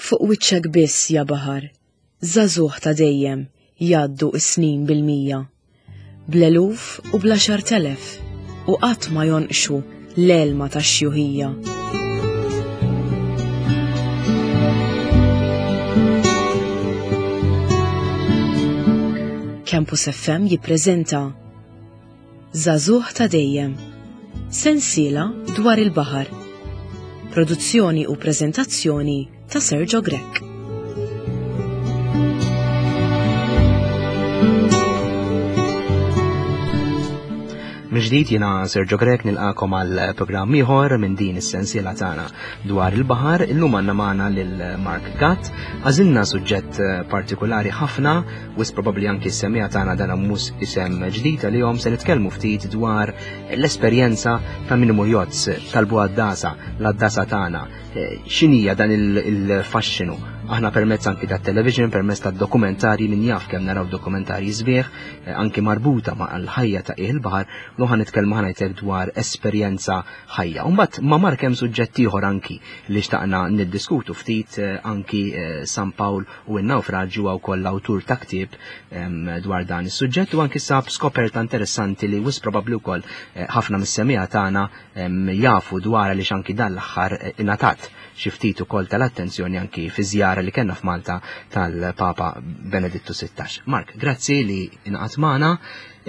Fuq wiċċek biss ja baħar, żagħżugħ ta' dejjem jgħaddu s-snin bil-mija. Bl-eluf u bl-għaxartelef u qatt ma jonqxu l-għelma tax-xjuħija. Campus FM jippreżenta Żagħżugħ ta' dejjem. Sensiela dwar il-baħar. Produzzjoni u preżentazzjoni ta' Sergio Grech. Mill-ġdid jiena Sergio Grech nilqakom għal programm ieħor minn din is-sensiela tagħna dwar il-baħar. Illum għandna magħna lil Mark Gatt. Għażilna suġġett partikolari ħafna Wis probabbli anki s-semmiegħa tagħna dan mhux isem ġdid għalihom se nitkellmu ftit dwar l-esperjenza ta' min imur jozz talbu għad-dasa, l-għaddasa tagħna. Eh, x'inhija dan il-faxxinu? Aħna permezz anki tat-television, permezz tad-dokumentarji min jaf kemm naraw dokumentarji sbieħ, eh, anki marbuta ma' l-ħajja ta' il-baħar, u ħa nitkellmu ħanajtek dwar esperjenza ħajja. Mbagħad ma' Mark hemm suġġett ieħor anki li xtaqna niddiskutu ftit eh, anki San Pawl u n-nawfraġġju huwa wkoll l-awtur ta' ktieb dwar dan is-suġġett u anki sab skoperta interessanti li wis probabbli wkoll eh, ħafna mis-semija tagħna jafu dwar għaliex anki dan l-aħħar eh, ingħatat xi ftit ukoll tal-attenzjoni anki fi żjara li kellna f'Malta tal-Papa Benedittu 16. Mark, grazzi li ingħaqad magħna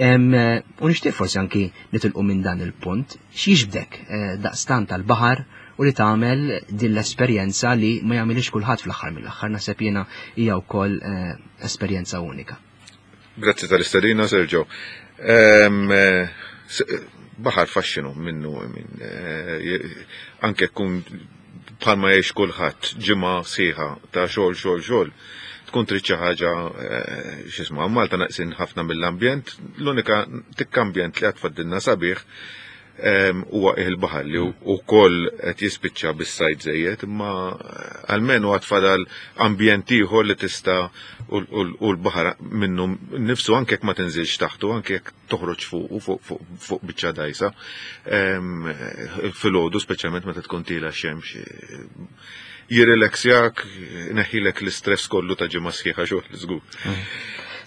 u nixtieq forsi anki nitilqu minn dan il-punt. X'jiġbdek eh, daqstant tal-baħar u li tagħmel din l-esperjenza li ma jagħmilix kulħadd fl-aħħar mill-aħħar naħseb jiena hija wkoll eh, esperjenza unika. Grazzi tal-istedina, Sergio. Ehm, eh, baħar faxxinu minnu minn eh, anke kun bħalma jgħix kulħadd ġimgħa sieħa ta' xogħol xogħol xogħol tkun trid xi ħaġa x'isma' Malta naqsin ħafna mill-ambjent, l-unika tikk ambjent li għad faddilna sabiħ huwa qiegħ il-baħar li wkoll qed jispiċċa bis-sajd żejjed, imma eh, almenu għad fadal ambjent ieħor li tista' u l-baħar minnu nifsu anke jekk ma tinżilx taħtu, anke jekk toħroġ fuq fuq fuq biċċa dajsa. Filgħodu speċjalment meta tkun tila xemx jirrilaxjak, neħilek l-istress kollu ta' ġimgħa sħiħa xogħol żgur.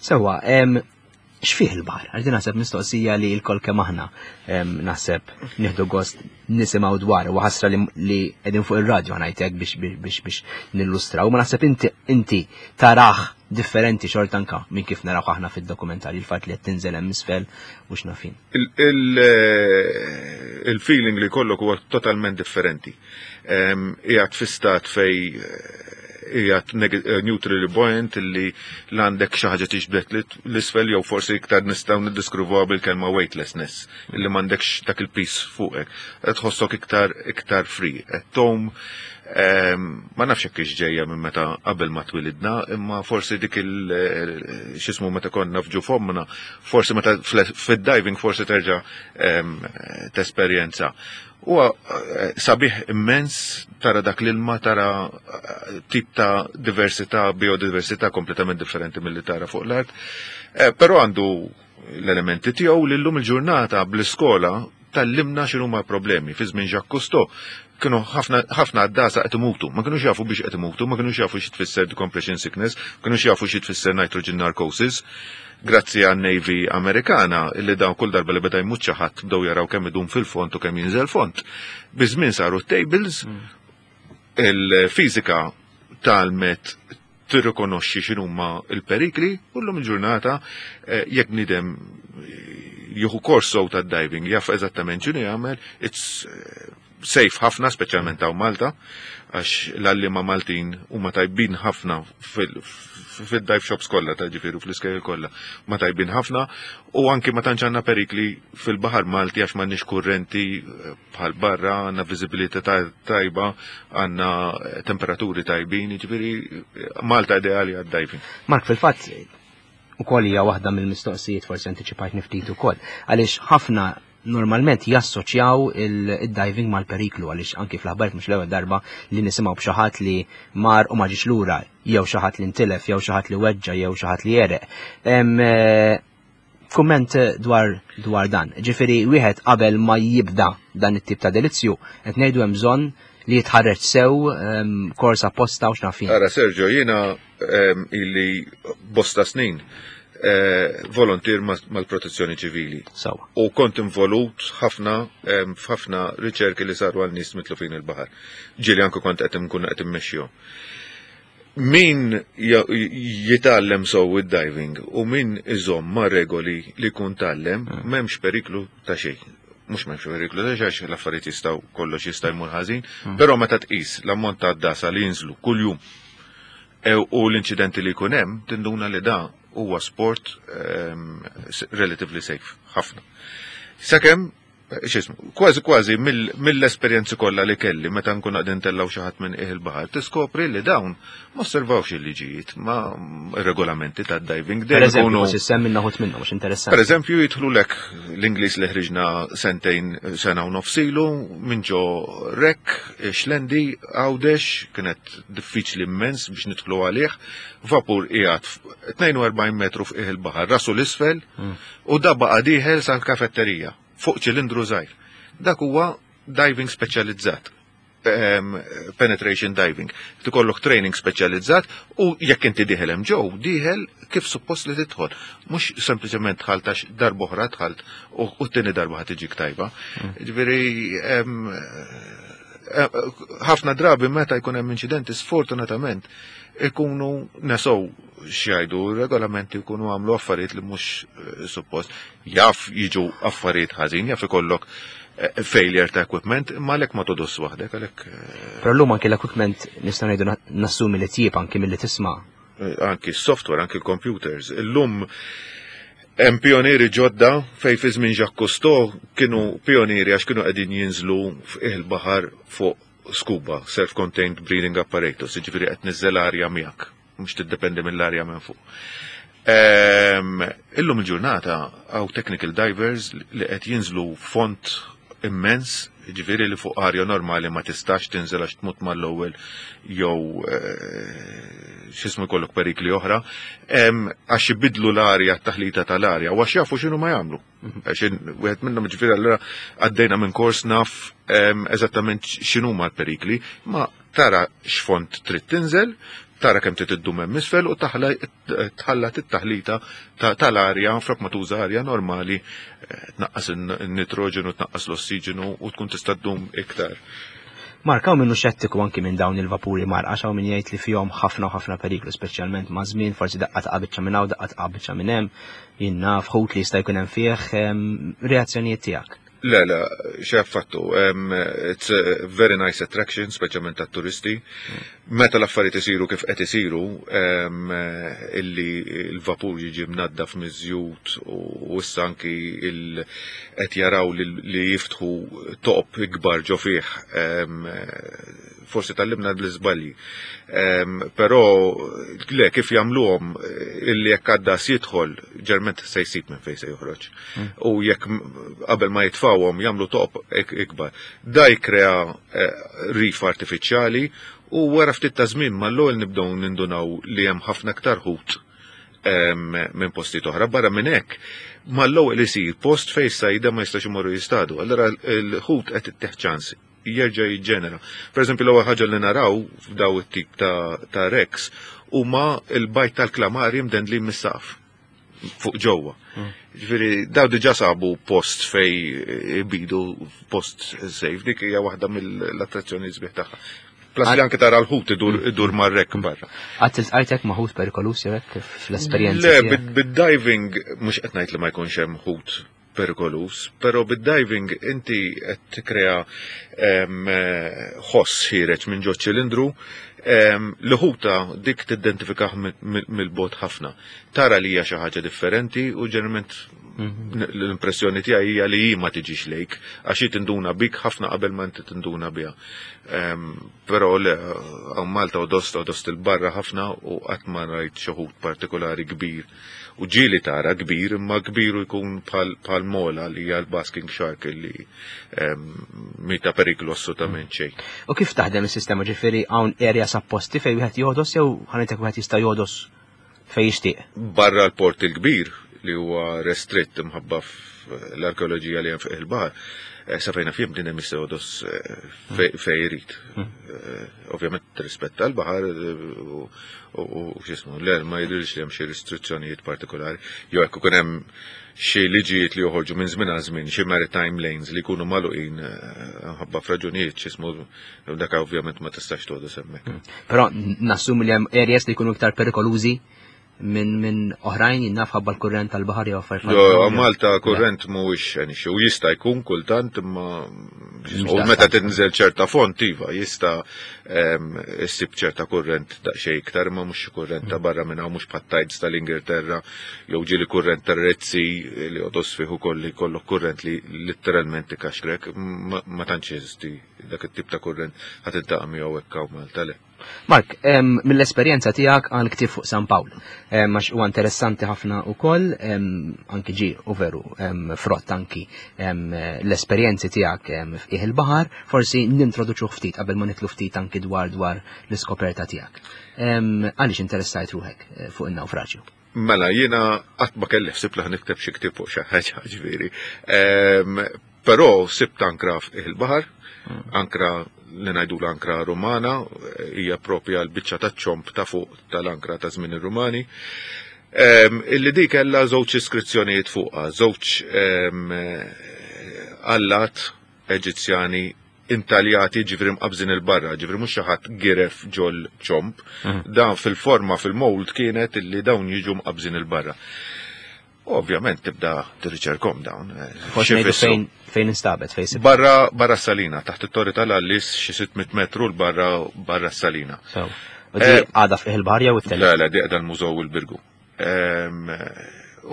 Sewa, X'fih il-baħar? Għax din naħseb mistoqsija li l-kol kemm aħna naħseb nieħdu gost nisimgħu dwar u ħasra li qegħdin fuq ir-radju ngħidlek biex biex biex nillustraw, ma naħseb inti inti taraħ differenti xorta anka minn kif naraw aħna fid-dokumentarju il-fatt li qed tinżel hemm isfel u x'nafin. Il-feeling li kollok huwa totalment differenti. Qiegħed fi stat fej qiegħed eh, neutrally buoyant illi l-għandek xi ħaġa tixbdet l-isfel jew forsi iktar nistgħu niddiskrivuha bil-kelma weightlessness illi m'għandekx dak il-pis fuqek. Qed tħossok iktar iktar free. Qed tom ehm, ma nafx hekk ġejja minn meta qabel ma twilidna, imma forsi dik il eh, x'ismu meta konna f'ġu fommna, forsi meta fid-diving forsi terġa' ehm, tesperjenza. Huwa eh, sabiħ immens tara dak l-ilma, tara eh, tip ta' diversità, biodiversità kompletament differenti milli tara fuq l-art. Eh, però għandu l-elementi tiegħu li llum il-ġurnata bl-iskola tallimna x'inhuma problemi. Fi żmien Jacques Cousteau kienu ħafna għaddasa qed imutu, ma kinux jafu biex qed imutu, ma kinux jafu xi tfisser decompression sickness, ma kinux jafu xi tfisser nitrogen narcosis. Grazzi għan Navy Amerikana illi dawn kull darba li beda jmut xi ħadd bdew jaraw kemm idum fil-fond u kemm jinżel fond. Biż-żmien saru tables, il-fiżika talmet tirrikonoxxi x'inhuma l-perikli u llum il-ġurnata eh, jekk bniedem jieħu kors sew tad-diving jaf eżattament x'inhu jagħmel, it's eh, safe ħafna, speċjalment hawn Malta, għax l-għalliema Maltin huma tajbin ħafna fil-dive shops kollha ta' ġifieri fl-iskejjel kollha, ma tajbin ħafna u anki ma tantx għandna perikli fil-baħar Malti għax m'għandniex kurrenti eh, bħal barra, għandna viżibilità tajba, għandna eh, temperaturi tajbin, ġifieri eh, Malta ideali għad-diving. Mark, fil-fatt ukoll hija waħda mill-mistoqsijiet forsi antiċipajt ftit ukoll, għaliex ħafna normalment jassoċjaw il-diving mal-periklu għaliex anki fl-aħbarijiet mhux l-ewwel darba li nisimgħu b'xi ħadd li mar u ma ġiex lura, jew xi ħadd li ntilef, jew xi ħadd li weġġa, jew xi ħadd li jereq. Eh, kumment dwar dwar dan. Ġifieri wieħed qabel ma jibda dan it-tip ta' delizzju qed ngħidu hemm bżonn li jitħarreġ sew kors apposta u x'naf jien. Ara Sergio, jiena illi bosta snin volontier mal-protezzjoni ċivili. Sawa. U kont involut ħafna f'ħafna riċerki li saru għal nies mitlufin il-baħar. Ġieli anke kont qed nkun qed immexxihom. Min jitgħallem sew id-diving u min iżomm ma' regoli li jkun tgħallem, m'hemmx periklu ta' xejn. Mhux m'hemmx periklu ta' xejn għax l-affarijiet jistgħu kollox jista' jmur ħażin, però meta tqis l-ammont ta' għaddasa li jinżlu kuljum e, u l-inċidenti li jkun hemm, tinduna li da huwa sport relatively safe ħafna. Sakemm x'ismu, kważi kważi mill-esperjenzi kollha li kelli meta nkun qegħdin ntellgħu xi ħadd minn qiegħ il-baħar, tiskopri li dawn ma osservawx il-liġijiet, ma regolamenti tad-diving. Per eżempju, forsi semmi naħut minnhom, mhux interessanti. Per eżempju, jidħlu lek l-Ingliż li ħriġna sentejn sena u nofs ilu minn ġo rek, Xlendi, Għawdex, kienet diffiċli immens biex nidħlu għalih, vapur qiegħed 42 metru f'qiegħ il-baħar, rasu l-isfel, u da baqa' dieħel sal-kafetterija fuq ċilindru żgħir. Dak huwa diving speċjalizzat, penetration diving. Tikollok training speċjalizzat u jekk inti dieħel hemm ġew, dieħel kif suppost li tidħol. Mhux sempliċement dħalt għax darb'oħra dħalt u t-tieni darba ħa tiġik tajba. Ġifieri ħafna drabi meta jkun hemm inċidenti sfortunatament ikunu nesow x'jgħidu regolamenti jkunu għamlu affarijiet li mhux suppost. Jaf jiġu affarijiet ħażin, jaf ikollok failure ta' equipment, imma għalhekk ma todos waħdek, għalhekk. Però llum anki l-equipment nistgħu ngħidu nassumi li tjieb anki milli tisma'. Anki s-software, anki l-computers. Illum hemm pionieri ġodda fej fi żmien Jacques Cousteau kienu pionieri għax kienu qegħdin jinżlu f'qiegħ il-baħar fuq scuba, self-contained breathing apparatus, jiġifieri qed tniżżel arja miegħek, mhux tiddependi mill-arja minn fuq. Illum il-ġurnata hawn technical divers li qed jinżlu font immens, jiġifieri li fuq arja normali ma tistax tinżel għax tmut mal-ewwel jew x'ismu jkollok perikli oħra, għax ibidlu l-arja, t-taħlita tal-arja, u għax jafu x'inhu ma jagħmlu. Għax wieħed minnhom ġifieri allura għaddejna minn kors naf eżattament x'inhuma l-perikli, ma tara x'font trid tinżel, tara kemm trid iddum hemm isfel u tħallat it-taħlita tal-arja flok ma tuża arja normali tnaqqas in-nitroġenu, tnaqqas l-ossiġenu u tkun tista' ddum iktar. Mark, hawn minnu xettiku anki minn dawn il-vapuri marqa, għax hawn min jgħid li fihom ħafna u ħafna periklu, speċjalment ma' żmien, forsi daqqa taqa' biċċa minn hawn, daqqa taqa' biċċa minn hemm, jien naf ħut li jista' jkun hemm fih, reazzjonijiet tiegħek. Le, le, xejn affattu. It's a very nice attraction, speċjalment tat-turisti. Meta l-affarijiet isiru kif qed isiru, illi l-vapur jiġi mnaddaf miż-żjut u issa anki qed jaraw li jiftħu toqob ikbar ġo fih, forsi tgħallimna bl-iżbalji. Però le kif jagħmluhom illi jekk għaddas jidħol, ġerment se jsib minn fejn se joħroġ. U jekk qabel ma jitfawhom jagħmlu toqob ikbar. Da jikkrea rif artifiċjali u wara ftit ta' żmien mal-ewwel nibdew nindunaw li hemm ħafna aktar ħut minn postijiet oħra. Barra minn hekk, mal-ewwel isir post fejn sajda ma jistax imorru jistadu. Allura l-ħut qed ittieħ ċans jerġa' jiġġenera. Per eżempju, l-ewwel ħaġa li naraw f'daw it-tip ta' wrecks huma l-bajt tal-klamari mdendlin mis-saqaf fuq ġewwa. Ġifieri daw diġà sabu post fej ibidu post safe, dik hija waħda mill-attrazzjoni sbieħ tagħha. Plus li anke tara l-ħut idur mar-rek barra. Qatt iltqajt hekk ma' ħut perikolus jew hekk fl-esperjenza? Le, bid-diving mhux qed ngħid li ma jkunx hemm ħut perikolus, però bid-diving inti qed tikkrea ħoss ħiereġ minn ġo ċilindru li ħuta dik tidentifikah mill-bogħod ħafna. Tara li hija xi ħaġa differenti u ġeneralment l-impressjoni tiegħi hija li hi ma tiġix lejk għax hi tinduna bik ħafna qabel ma inti tinduna biha. Però le, hawn Malta u dost u dost il-barra ħafna u qatt ma rajt xi ħut partikolari kbir. U ġieli tara kbir, imma kbir u jkun bħal mola li hija l-basking shark li mhi ta' periklu assolutament xejn. U kif taħdem is-sistema ġifieri hawn areas apposti fejn wieħed jogħdos jew ħanejtek wieħed jista' jogħdos fejn jixtieq? Barra l-port il-kbir li huwa restritt imħabba l-arkeoloġija li hemm fuq il-baħar. Sa fejna fjem din hemm jista' jogħdos fejn irid. Ovvjament tirrispetta l-baħar u x'ismu, le ma jidhirx li hemm xi restrizzjonijiet partikolari. Jew hekk ikun hemm xi liġijiet li joħorġu minn żmien għal żmien, xi maritime lanes li jkunu magħluqin ħabba f'raġunijiet x'ismu dak ovvjament ma tistax togħdos hemmhekk. Però nassumi li hemm areas li jkunu iktar perikolużi minn oħrajn jinnaf ħabba l-kurrent tal-baħar jew affarijiet. Jo, Malta kurrent mhuwiex an issue. U jista' jkun kultant imma u meta tinżel ċerta font iva jista' issib ċerta kurrent daqsxejn iktar imma mhux xi kurrent ta' barra minn hawn mhux bħat-tides tal-Ingilterra jew ġieli kurrent tar-Red Sea li għodos fih ukoll li jkollok kurrent li litteralment ikaxkrek ma tantx jeżisti dak it-tip ta' kurrent ħa tiltaqa' miegħu hekk hawn Malta le. Mark, mill-esperjenza tiegħek għal ktieb fuq San Pawl, għax huwa interessanti ħafna wkoll, anki ġi u veru frott anki l-esperjenzi tiegħek f'qiegħ il-baħar, forsi nintroduċuh ftit qabel ma nitlu ftit anki dwar dwar l-iskoperta tiegħek. Għaliex interessajt ruħek eh, fuq in-nawfraġju? Mela, jiena qatt ma kelli ħsieb li nikteb xi ktieb fuq xi ħaġa ġifieri. Però sibt ankra f'qiegħ il-baħar, ankra li ngħidula ankra Rumana, hija propja l-biċċa taċ-ċomb ta' fuq tal-ankra ta' żmien ir-Rumani. Illi di kellha żewġ iskrizzjonijiet fuqha, żewġ allat Eġizzjani intaljati ġifri mqabżin il-barra, ġifri mhux xi ħadd giref ġol ċomb. Dan fil-forma fil-mold kienet illi dawn jiġu mqabżin il-barra. Ovvjament tibda tirriċerkom dawn. Eh, Forsi fejn fejn instabet fejn Barra barra Salina, taħt it-torri tal-Allis xi 600 metru l barra barra Salina. U di eh, għada fih il-barja u t Le, le, di għada l-mużew il-Birgu.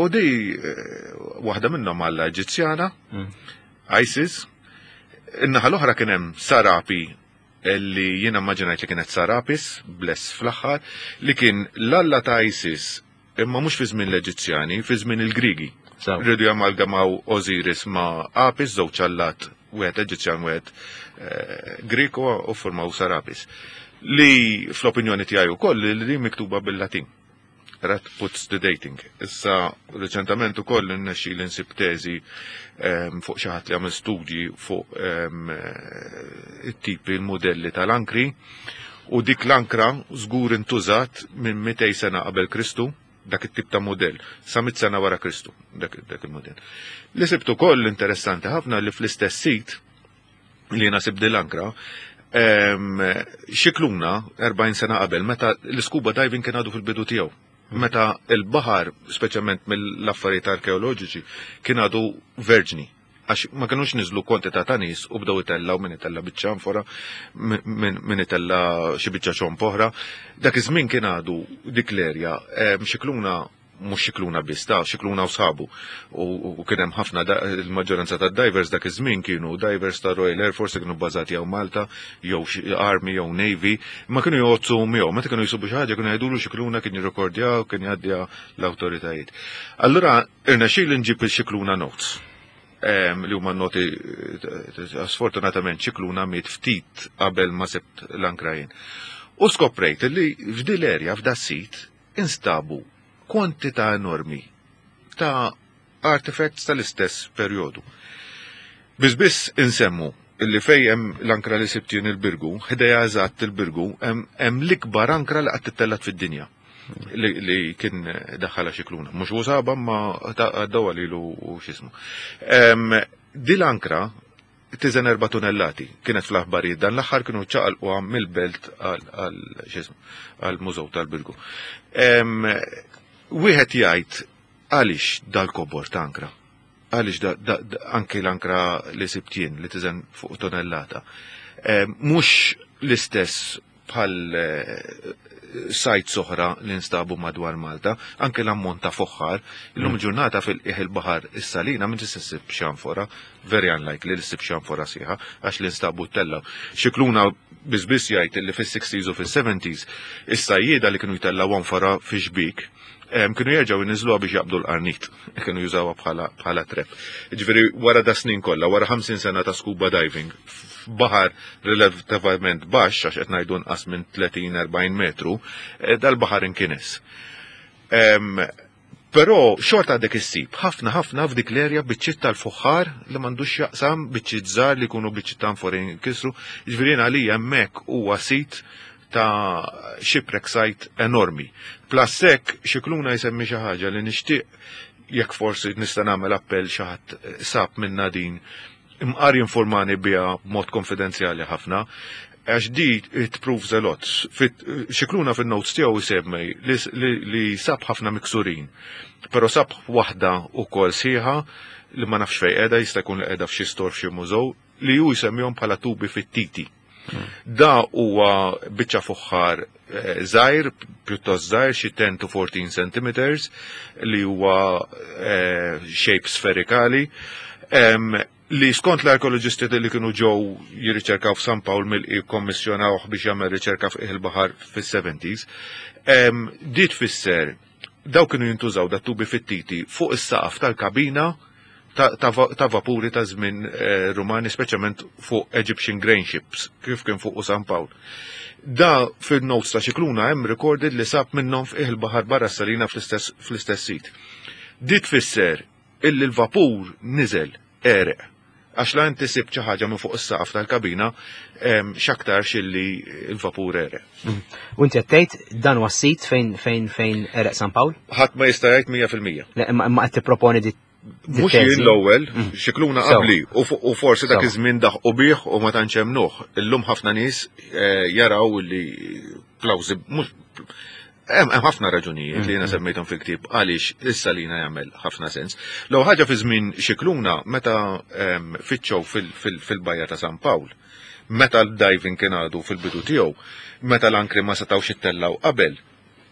U di eh, waħda minnhom għalla Eġizzjana, ISIS. In-naħa l-oħra kien hemm Sarapi li jiena immaġinajt li kienet Sarapis, bless fl-aħħar, li kien l-alla ta' ISIS imma mhux fi żmien l-Eġizzjani, fi żmien il-Grigi. Rridu jamalgamaw Osiris ma' Apis, żewġ allat, wieħed Eġizzjan wieħed eh, Grieg u formaw Sarapis. Li fl-opinjoni tiegħi wkoll li miktuba bil-Latin. That puts the dating. Issa, reċentament ukoll innexxi li nsib teżi ehm, fuq xi ħadd li għamel studji fuq ehm, it-tipi l-modelli tal-ankri u dik l-ankra żgur intużat minn 200 sena qabel Kristu dak it-tip ta' modell, sa 100 sena wara Kristu, dak, dak il-modell. Li sibt ukoll interessanti ħafna li fl-istess sit li jiena sibt din l-ankra, xikluna 40 sena qabel meta l-scuba diving kien għadu fil-bidu tiegħu. Meta il-baħar, speċjalment mill-affarijiet arkeoloġiċi, kien għadu verġni għax ma kinux niżlu kwantità ta' nies u bdew itellaw min itella' biċċa anfora, min itella' xi biċċa ċomb oħra. Dak iż-żmien kien għadu dik l-erja xikluna mhux Scicluna biss, ta' Scicluna u sħabu. U kien hemm ħafna il-maġġoranza tad-divers dak iż-żmien kienu divers ta' Royal Air Force kienu bbażati hawn Malta, jew Army jew Navy, imma kienu jgħoddsu miegħu. Meta kienu jsibu xi ħaġa kienu jgħidulu Scicluna kien jirrekordja u kien jgħaddiha l-awtoritajiet. Allura irnexxieli nġib il-Scicluna notes li huma noti eh, sfortunatament Scicluna miet ftit qabel ma sibt l-ankra jien. U skoprejt li f'dil erja f'da sit instabu kwantità enormi ta' artifacts tal-istess perjodu. Biss biss insemmu illi fej hemm l-ankra li sibt jien il-Birgu, ħdejha eżatt il-Birgu, hemm l-ikbar ankra li qatt ittellgħet fid-dinja li, li kien daħħalha Scicluna. Mhux hu saba ma għaddew lilu u x'ismu. Di l-ankra tiżen 4 tunellati. Kienet fl-aħbarijiet dan l-aħħar kienu ċaqalquha mill-belt għal x'ismu għall-Mużew tal-Birgu. Wieħed jgħid għaliex dal-kobor ta' ankra? Għaliex anki l-ankra li sibt jien li tiżen fuq tonnellata. Mhux l-istess bħal eh, sajt soħra li nstabu madwar Malta, anke l-ammont ta' foħħar, illum mm. ġurnata fil-qiegħ il-baħar is-salina minn tista' ssib xanfora, very unlikely li ssib xanfora sieħa għax li nstabu tellaw. Xikluna biss jgħid li fis-60s u fis-70s is-sajjieda li kienu jtellaw anfora fi xbik kienu jerġgħu jniżluha biex jaqbdu l-qarnit, kienu jużawha bħala trep. Ġifieri wara da snin kollha, wara 50 sena ta' scuba diving, f'baħar relattivament baxx, għax qed ngħidu nqas minn 30-40 metru, eh, dal-baħar inkines. Però xorta għadek issib ħafna ħafna f'dik l-erja biċċiet tal-fuħħar li m'għandux jaqsam biċċiet żgħar li jkunu biċċiet ta' anforin kisru. Jiġifieri jien għalija hemmhekk huwa sit ta' shipwreck site enormi. Plus hekk Scicluna jsemmi xi ħaġa li nixtieq jekk forsi nista' nagħmel appell xi ħadd sab minna din imqar jinformani biha b'mod konfidenzjali ħafna, għax di it proves a lot. Scicluna fin-notes tiegħu jsemmi li sab ħafna miksurin, però sab waħda wkoll sħiħa li ma nafx fejn qiegħda, jista' jkun li qiegħda f'xi store f'xi mużew, li hu jsemmihom bħala tubi fittiti. Da huwa biċċa fuħħar eh, żgħir, pjuttost żgħir, xi 10 to 14 centimeters, li huwa eh, shape sferikali, li skont l-arkeoloġisti li kienu ġew jirriċerkaw f'San Pawl mill kommissjonawh biex jagħmel riċerka f'qiegħ il-baħar fis-70s, di tfisser daw kienu jintużaw da tubi fittiti fuq is-saqaf tal-kabina ta' vapuri ta' żmien eh, Rumani, speċjalment fuq Egyptian grain ships, kif kien fuq San Pawl. Da fil-notes ta' Scicluna hemm recorded li sab minnhom f'qiegħ il-baħar barra Salina fl-istess sit. Di tfisser illi l-vapur niżel għereq. Għax la inti sibt xi ħaġa minn fuq is-saqaf tal-kabina, x'aktarx illi l-vapur għereq. Mm. U inti qed tgħid dan huwa s-sit fejn fejn fejn għereq San Pawl? Ħadd ma jista' jgħid 100%. Le imma qed tipproponi di Mhux jien l-ewwel, mm. Scicluna qabli u forsi dak iż-żmien daħqu bih u ma tantx hemmnuh. Illum ħafna nies eh, jaraw li plawżi mhux Hemm ħafna raġunijiet li jiena mm-hmm. semmejthom fil-ktieb għaliex is-salina jagħmel ħafna sens. L ħaġa fi żmien Scicluna meta ehm, fittxew fil-bajja ta' San Pawl, meta l-diving kien għadu fil-bidu tiegħu, meta l-ankri ma setgħux ittellaw qabel,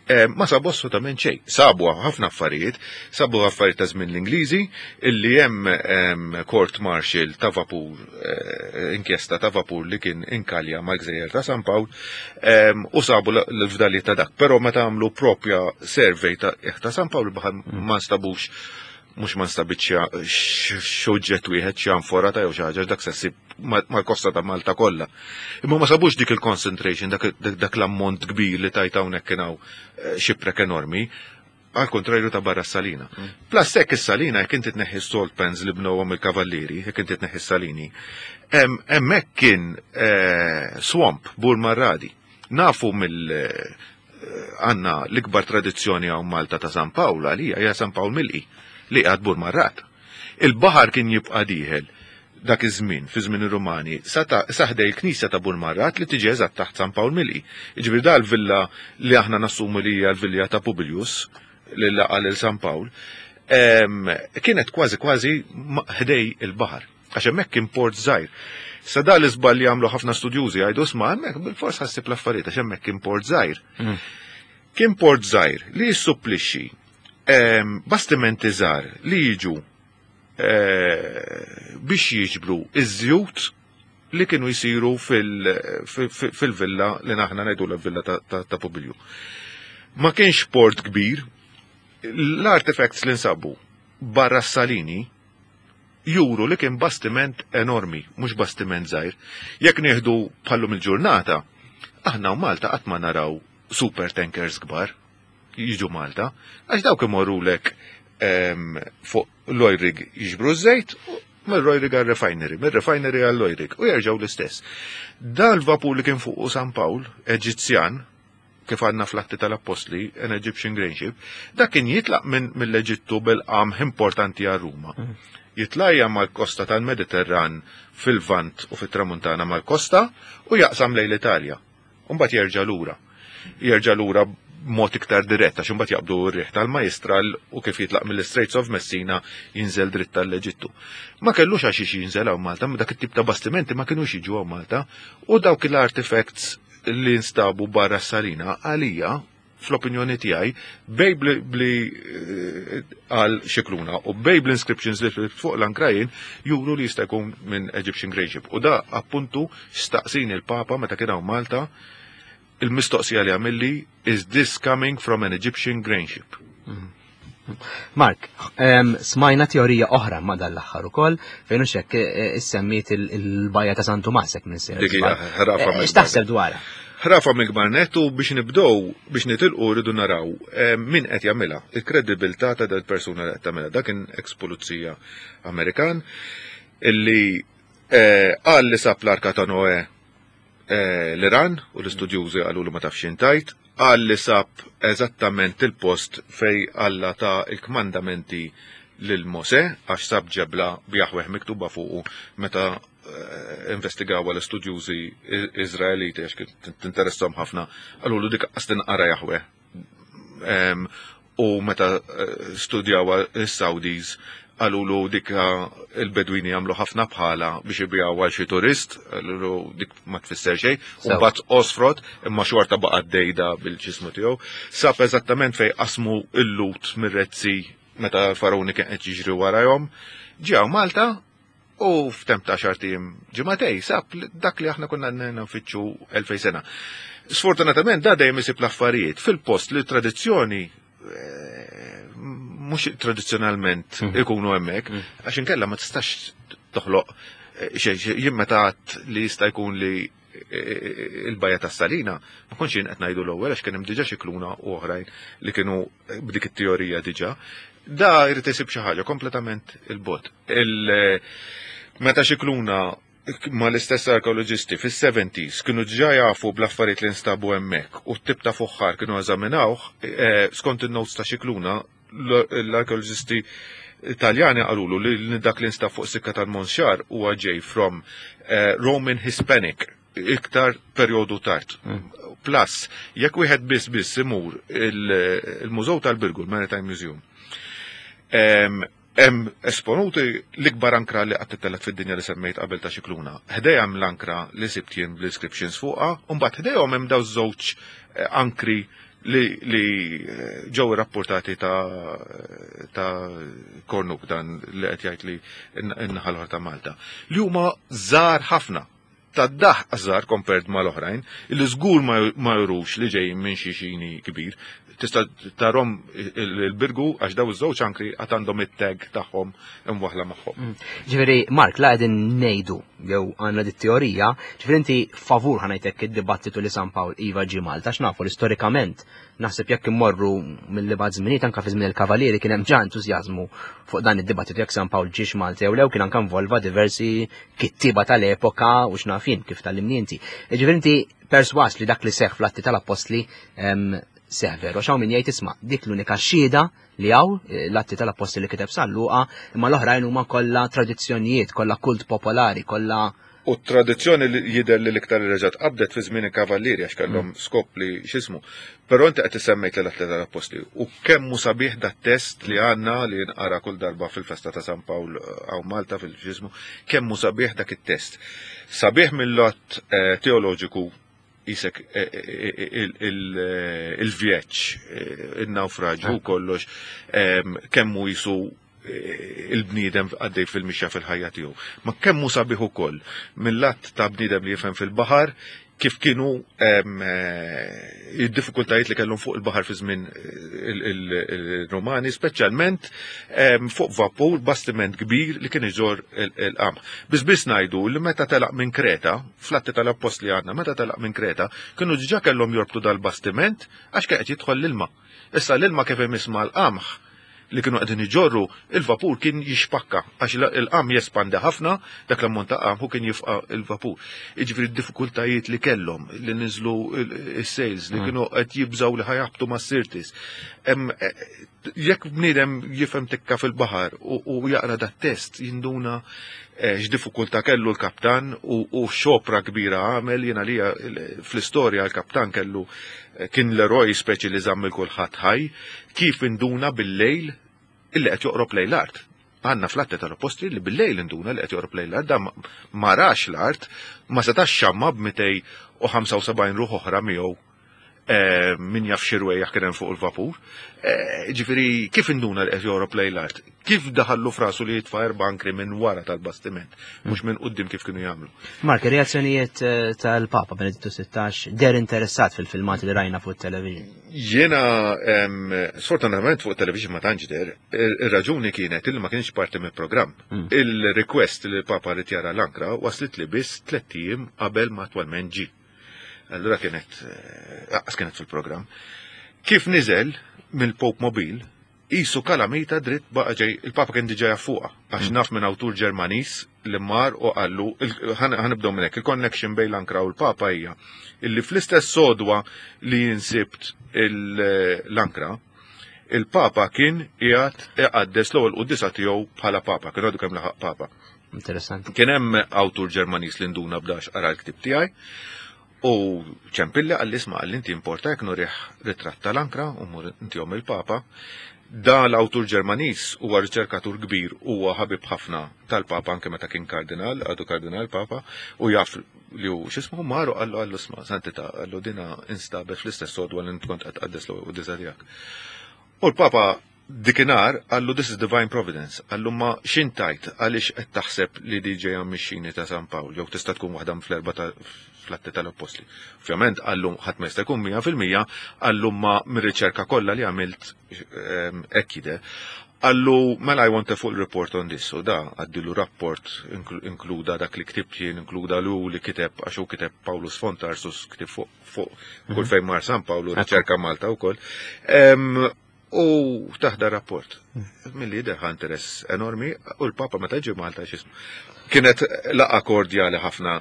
ehm, ma sabu assolutament xejn. Sabu ħafna affarijiet, sabu affarijiet ta' żmien l-Ingliżi illi hemm ehm, court martial ta' vapur, eh, inkjesta ta' vapur li kien inkalja mal-gżejjer ta' San Pawl, u sabu l-fdalijiet ta' dak. Però meta għamlu propja survey ta' ta' San Pawl baħar mm. ma nstabux mhux ma nstabitx xoġġett wieħed xi anfora ta' jew xi ħaġa dak se mal-kosta ta' Malta kollha. Imma ma sabux dik il-concentration, dak l-ammont kbir li tajt hawnhekk kien hawn eh, xiprek enormi għal kontrarju ta' barra s-salina. Mm. Plus hekk is-salina jekk inti tneħħi salt pans li bnewhom il-kavallieri, jekk inti tneħħi s-salini, hemmhekk kien eh, swamp bur marradi. Nafu mill eh, għanna l-ikbar tradizzjoni hawn Malta ta' San Pawl għalija hija San Pawl Milqi li għad bur marrat. Il-baħar kien jibqa' dieħel dak iż-żmien, fi żmien ir-Rumani, sa ħdej il-knisja ta' Burmarrat li tiġi eżatt taħt San Pawl Milqi. Jiġifieri da l-villa li aħna nassumu li hija l-villa ta' Publius li laqa' lil San Pawl, kienet kważi kważi ħdej il-baħar. Għax hemmhekk kien port żgħir. Sa da l-iżball li għamlu ħafna studjużi jgħidu sma' hemmhekk bil-fors ħassib l-affarijiet għax hemmhekk kien port żgħir. Mm. Kien port żgħir li jissupplixxi bastimenti żgħar li jiġu eh, biex jiġbru iż-żjut li kienu jisiru fil-villa li naħna ngħidu l-villa ta' Publiju. Ma kienx port kbir, l-artifacts li nsabu barra s-salini juru li kien bastiment enormi, mhux bastiment żgħir. Jekk nieħdu bħallum il-ġurnata, aħna u Malta qatt ma naraw super tankers kbar. jiġu Malta, għax dawk imorrulek ehm, fuq l-oil rig jiġbru ż-żejt, mill-oil rig għal-refinery, mill-refinery għall-oil rig, u jerġgħu l-istess. Dan l-vapur li kien fuq San Pawl, Eġizzjan, kif għadna fl-atti tal-Appostli, an Egyptian grain ship, dak kien jitlaq minn mill-Eġittu bil-qamħ importanti għal Ruma. Mm. Jitlajja mal-kosta tal-Mediterran fil-Vant u fit-Tramuntana mal-kosta u jaqsam lejn l-Italja. U mbagħad jerġa' lura. Jerġa' lura b'mod iktar dirett għax imbagħad jaqbdu r-riħ tal-Majistral u kif jitlaq mill-Straits of Messina jinżel dritt tal-Eġittu. Ma kellux għax jinżel hawn Malta, dak it-tip ta' bastimenti ma kinux jiġu hawn Malta u dawk l-artifacts li nstabu barra s-salina għalija fl-opinjoni tiegħi bej bli eh, għal Scicluna u bej bl-inscriptions li fuq l-ankrajin juru li jista' jkun minn Egyptian Grain Ship. U da appuntu staqsini l-Papa meta kien hawn Malta il-mistoqsija li għamilli is this coming from an Egyptian grain ship? Mm. Mark, smajna teorija oħra ma dan l-aħħar ukoll fejn hux hekk eh, issemmiet il-bajja ta' Santu Masek minn sejra. Eh, x'taħseb dwarha? Ħrafa mill-kbar nett u biex nibdew biex nitilqu rridu naraw eh, min qed jagħmilha, il-kredibilità ta' dal-persuna li qed tagħmilha. Dak kien ex pulizija Amerikan illi eh, qal li sab l-arka ta' Noe eh, l-Iran u l-istudjużi qalu li ma tafx intajt, qal li sab eżattament il-post fej Alla ta il-kmandamenti lil Mosè għax sab ġebla b'Jaħweh miktuba fuqu meta Eh, investigawha l-istudjużi Iżraeliti għax kien tinteressom ħafna, qalulu dik qas tinqara Jaħwe. U meta eh, studjawha is-Saudis qalulu dik il-Bedwini jagħmlu ħafna bħala biex ibijaw għal xi turist, qalulu dik ma tfisser xejn, u mbagħad osfrot imma xorta baqa' dejda bil-ġismu tiegħu. Sab eżattament fejn qasmu l-lut mir-rezzi meta l-Faruni kien qed jiġri warajhom. Ġew Malta U f'temp ta' xar tim ġimagħtej sab dak li aħna konna nfittxu 2000 sena. Sfortunatament da dejjem isib l-affarijiet fil-post li tradizzjoni eh, mhux tradizzjonalment mhm. ikunu hemmhekk, mhm. għax inkella ma tistax toħloq eh, xejn jien meta li jista' jkun li eh, il-bajja tas salina ma kontx jien qed ngħidu l-ewwel għax kien hemm diġà xi kluna u oħrajn li kienu b'dik it-teorija diġà. Da jrid isib xi ħaġa kompletament il-bot. Meta Scicluna ma l-istess arkeoloġisti fis-70s kienu ġa jafu bl-affarijiet li nstabu hemmhekk u t-tip ta' fuħħar kienu eżaminawh, eh, skont in-notes ta' Scicluna, l-arkeoloġisti Taljani qalulu li dak li nstab fuq sikka tal-Monxar huwa ġej from eh, Roman Hispanic iktar perjodu tard. Mm. Plus, jekk wieħed biss biss imur il-Mużew tal-Birgu, il-Maritime Museum, Hemm esponuti l-ikbar ankra li qatt ittelgħet fid-dinja li semmejt qabel ta' Xikluna. Ħdejha hemm l-ankra li sibt jien bl-inscriptions fuqha, u mbagħad ħdejhom hemm dawn żewġ eh, ankri li, li eh, ġew irrapportati ta' ta' Kornuk dan li qed jgħid li n-naħa l-oħra ta' Malta. Li huma żgħar ħafna tad-daħq żgħar compared mal-oħrajn, li żgur ma jurux li ġejjin minn xi xini kbir. Tista' tarhom il-birgu għax daw iż-żewġ ankri għad għandhom it-tag tagħhom imwaħla magħhom. Mm. Ġifieri, Mark, la qegħdin ngħidu jew għandna dit teorija, ġifieri inti favur ħanajtek id-dibattitu li San Pawl iva ġie Malta, x'nafu li storikament Naħseb jekk immorru mill-li bad żminijiet anke fi żmien il-Kavalieri kien hemm ġa entużjażmu fuq dan id-dibattitu jekk San Pawl ġiex Malta jew lew kien anke involva diversi kittieba tal-epoka u x'naf jien kif tallimni inti. Jiġifieri inti perswas li dak li seħħ fl-Atti tal-Appostli seħħ veru. Għax hawn min jgħid isma' dik l-unika xhieda li hawn eh, l-Atti tal-Appostli li kiteb San Luqa, imma l-oħrajn huma kollha tradizzjonijiet, kollha kult popolari, kollha U t-tradizzjoni li jidher li l-iktar li reġgħet qabdet fi żmien il-Kavallieri għax kellhom mm. skop li x'ismu. Però inti qed isemmejt l atleta tal-Appostli u kemm hu sabiħ dat test li għandna li nqara kull darba fil-festa ta' San Pawl eh, hawn Malta fil-x'ismu, kemm hu sabiħ dak it-test. Sabiħ mill-lat eh, teoloġiku jisek eh, il-vjeġġ, il-nawfraġ u kollox, kemm hu jisu il-bniedem għaddej fil-mixja fil-ħajja tiegħu. Ma kemm hu sabiħ ukoll mill-att ta' bniedem li jifhem fil-baħar kif kienu eh, id-diffikultajiet li kellhom fuq il-baħar fi żmien eh, il-Romani, speċjalment fuq vapur bastiment kbir li kien iġor il-qamħ. Biss biss ngħidu li meta telaq minn Kreta, fl-atti tal-appostli għandna, meta telaq minn Kreta, kienu diġà kellhom jorbtu dal-bastiment għax kien qed jidħol l-ilma. Issa l-ilma kif imiss mal-qamħ li kienu qegħdin iġorru, il-vapur kien jixpakka għax il-qam jespandi ħafna, dak l-ammont ta' qam u kien jifqa' il-vapur. Jiġifieri d-diffikultajiet li kellhom li niżlu s-sales li mm. kienu qed jibżgħu li ħajabtu ma' sirtis. E, jekk bniedem jifhem tikka fil-baħar u jaqra dat test jinduna e, x'diffikultà kellu l-kaptan u xopra kbira għamel jiena li fl-istorja l-kaptan kellu Kien l-eroj speċi li żamm 'il kulħadd ħaj, kif induna bil-lejl illi qed joqrob lejn l-art. Għandna fl-Atti tal-Appostli li bil-lejl induna li qed joqrob lejn l-art, dan ma rax l-art, ma setax xamma b'275 ruħ oħra miegħu eh, min jaf xi rwejjaħ kien hemm fuq il-vapur. Eh, ġifieri kif induna li qed joqrob lejn l-art? Kif daħallu frasu li jitfa' erba' ankri minn wara tal-bastiment, mhux minn quddiem kif kienu jagħmlu. Mark, reazzjonijiet eh, tal-Papa Benedittu 16 der interessat fil-filmati li rajna fuq television. Jiena sfortunatament fuq television ma tantx der, ir-raġuni kienet li ma kienx parti mill-programm. Hmm. Il-request li l-Papa rid jara l-ankra waslit li biss tliet ijiem qabel ma attwalment ġi. Allura kienet, eh, aqas kienet fil-programm. Kif niżel mill-Pope Mobile, qisu kalamita dritt baqa' ġej, il-Papa kien diġà jaf fuqha, għax naf minn awtur Ġermaniż li mar u qallu, ħa nibdew minn hekk, il-connection bejn l-ankra u l-Papa hija illi fl-istess sodwa li insibt l-ankra, il-Papa kien qiegħed iqaddes l-ewwel quddiesa tiegħu bħala Papa, kien għadu kemm laħaq Papa. Interessanti. Kien hemm awtur Ġermaniż li nduna b'dax qara l-ktieb tiegħi U ċempilli qalli isma' qalli inti importa jekk nurih ritratt tal-ankra u mmur intihom il-Papa. Da l-awtur Ġermaniż huwa riċerkatur kbir huwa ħabib ħafna tal-Papa anke meta kien kardinal, għadu kardinal Papa, u jaf li hu x'ismu mar u qallu qallu isma' Santità qallu dina instabet fl-istess sodwa li int kont qed tqaddes l-ewwel quddiesa tiegħek. U l-Papa Dikinhar qallu this is divine providence, qallu ma x'int tgħid għaliex qed taħseb li di ġejja mix-xini ta' San Pawl jew tista' tkun waħda fl-erba' ta' fl-Atti tal-Appostli. Ovvjament qallu ħadd ma jista' jkun 100% qallu ma mir-riċerka kollha li għamilt ehm, hekk jidher. Qallu mela I want a full report on this u da għaddilu rapport inkluda dak li ktibt jien, inkluda lu li kiteb għax hu kiteb Paulus von Tarsus ktib fuq fuq kull mhm. fejn mar San Pawlu riċerka Malta wkoll. Ehm, U taħda rapport. Milli jidher ħa interess enormi u l-Papa meta ġie Malta x'ismu. Kienet laqa kordjali ħafna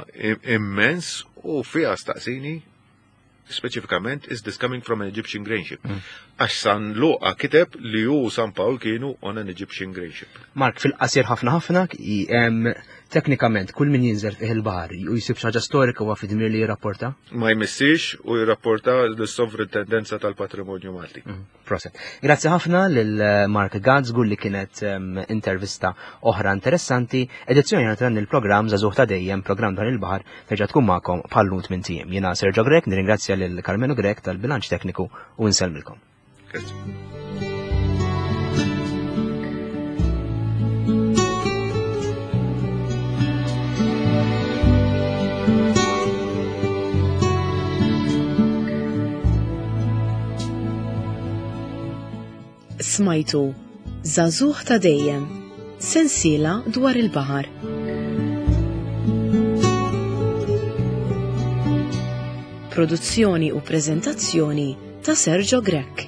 immens u fiha staqsini speċifikament is this coming from an Egyptian grain ship. Mm. Għax San Luqa kiteb li hu San Pawl kienu on an Egyptian grain ship. Mark, fil-qasir ħafna ħafna, teknikament kull min jinżel fih il-baħar u jsib xi ħaġa storika huwa fid-dmir li jirrapporta? Ma jmissix u jirrapporta l-Sovrintendenza tal-Patrimonju Malti. Mm. Proset. Grazzi ħafna lil eh, Mark Gadd żgur li kienet intervista oħra interessanti. Edizzjoni oħra dan il-programm Żagħżugħ ta' dejjem, programm dwar il-baħar, terġa' tkun magħkom bħal-lum tmien ijiem. Jiena Sergio Grech, nirringrazzja lil Karmenu Grech tal-bilanċ tekniku u nsellmilkom. Grazzi. Smajtu Żagħżugħ ta' dejjem, sensiela dwar il-baħar. Produzzjoni u preżentazzjoni ta' Sergio Grech.